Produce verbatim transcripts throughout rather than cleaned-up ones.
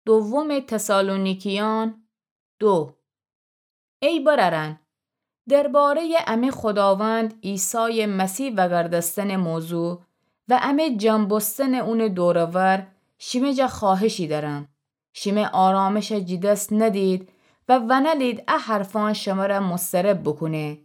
دوم تسالونیکیان دو. ای برأرأن، درباره‌یٚ امه خوداوند عیسایٚ مسیح وأگردستنٚ موضوع و امه جمع بوستنٚ اونٚ دور و ور شیمه جا خوأهشی دأرم. شیمه آرامشَ جٚه دس ندید و ونلید ا حرفأن شمرَ مضطرب بوکونه.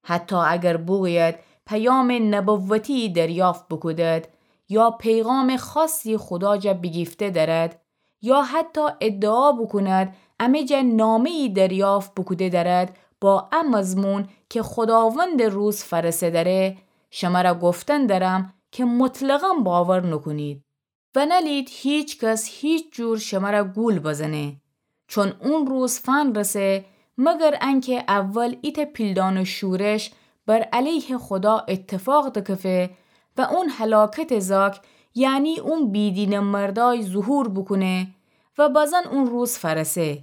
حتی اگر بوگوید پیامٚ نبوتی دریافت بوکودد یا پیغامٚ خاصی خودا جا بیگیفته دأرد، یا حتی ادعا بوکوند امه جا نامه‌یی دریافت بوکوده دأرد با ا مضمون کی خوداوندٚ روز فأرسه دأره، شمرَ گفتن دأرم کی مطلقاً باور نوکونید. ونلید هیکس هیچ جور شمرَ گول بزنه. چون اون روز فنرسه، مگر انکی اول ایتأ پیلدانٚ شورش بر علیه خودا ایتفاق دکفه و اون هلاکتٚ زاک، یعنی اون بیدینٚ مردأی ظهور بوکونه و بزن اون روز فأرسه.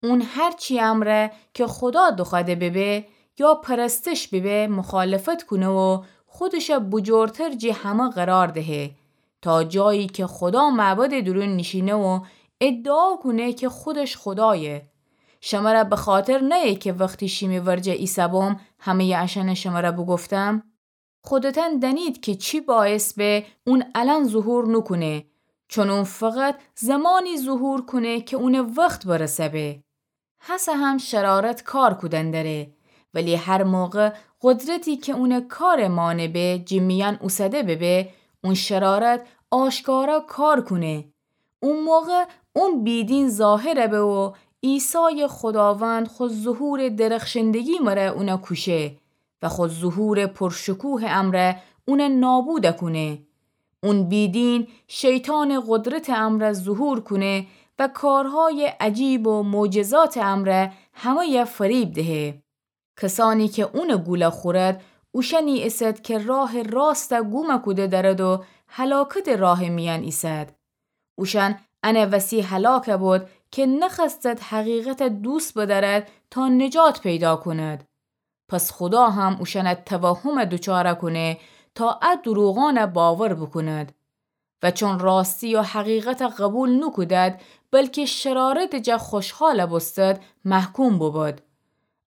اون هر چی امرأ کی خودا دوخوأده ببه یا پرستش ببه مخالفت کونه و خودشَ بجورتر جٚه همه قرار دهه، تا جایی کی خودا معبدٚ دورون نیشینه و ادعا کونه کی خودش خودایه. شمرَ بخاطر نأیه کی وختی شیمی ورجه ایسه‌بوم همه‌یٚ اشأنَ شمرَ بوگفتم؟ خودتأن دأنید کی چی باعث به اون الأن ظهور نوکونه، چون اون فقط زمانی ظهور کونه کی اونٚ وخت برسه به. هسه هم شرارت کار کودن دأره، ولی هر موقع قدرتی کی اونٚ کارٚ مانع به جٚه میأن اوسده ببه، اون شرارت آشکارا کار کونه. او موقع اون بیدین ظاهر به و عیسایٚ خوداوند خو ظهورٚ درخشندگی مره اونَ کوشه و خو ظهورٚ پرشکوهٚ امرأ اونَ نابود کونه. اون بیدین شیطانٚ قدرتٚ امرأ ظهور کونه و کارهایٚ عجیب و معجزاتٚ امرأ همه‌یَ فریب دهه. کسانی کی اونٚ گول خورد، اوشأنی ایسد کی راهٚ راستَ گوم کوده دأرد و هلاکتٚ راهٚ میأن ایسد. اوشأن انٚ وسی هلاک بود کی نخوأستد حقیقتَ دوست بدأرد تا نجات پیدا کند. پس خودا هم اوشأنٚ توهمَ دوچار کونه تا ا دروغأنَ باور بوکوند. و چون راستی و حقیقتَ قبول نوکودد، بلکی شرارتٚ جا خوشحال بوستد، محکوم بوبود.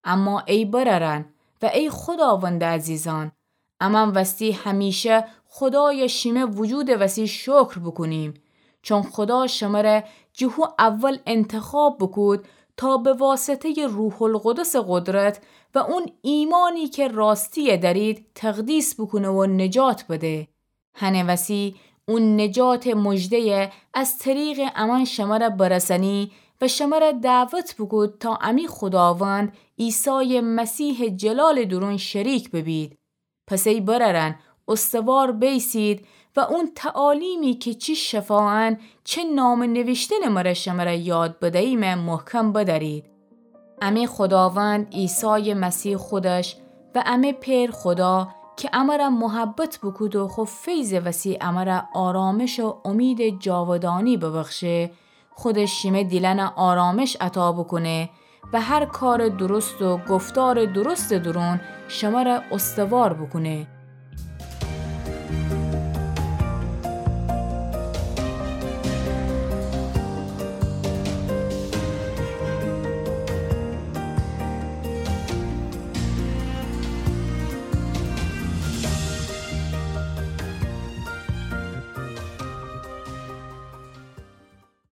اما ای برأرأن و ای خوداوندٚ عزیزأن، امأن وستی همیشه خودایَ شیمه وجودٚ وسی شکر بوکونیم، چون خودا شمره جٚه هو اول انتخاب بوکود تا به واسطه‌یٚ روح‌القدسٚ قدرت و اون ایمانی کی راستی‌یَ دأرید تقدیس بوکونه و نجات بده. هنٚ وسی اون نجاتٚ مژده‌یَ از طریقٚ امأن شمره برسأنی و شمره دعوت بوکود تا امی خوداوند عیسایٚ مسیحٚ جلالٚ دورون شریک ببید. پس ای برأرأن، استوار بیسید و اون تعالیمی کی چی شفاعأن چه نامه نویشتنٚ مره شمره یاد بدهیمه محکم بدأرید. امی خوداوند عیسایٚ مسیح خودش و امی پئر خودا کی امره محبت بوکود و خو فیضٚ وسی امره آرامش و امیدٚ جاودانی ببخشه، خودش شیمه دیلأنَ آرامش عطا بوکونه و هر کارٚ درست و گفتارٚ درستٚ دورون شمره استوار بوکونه.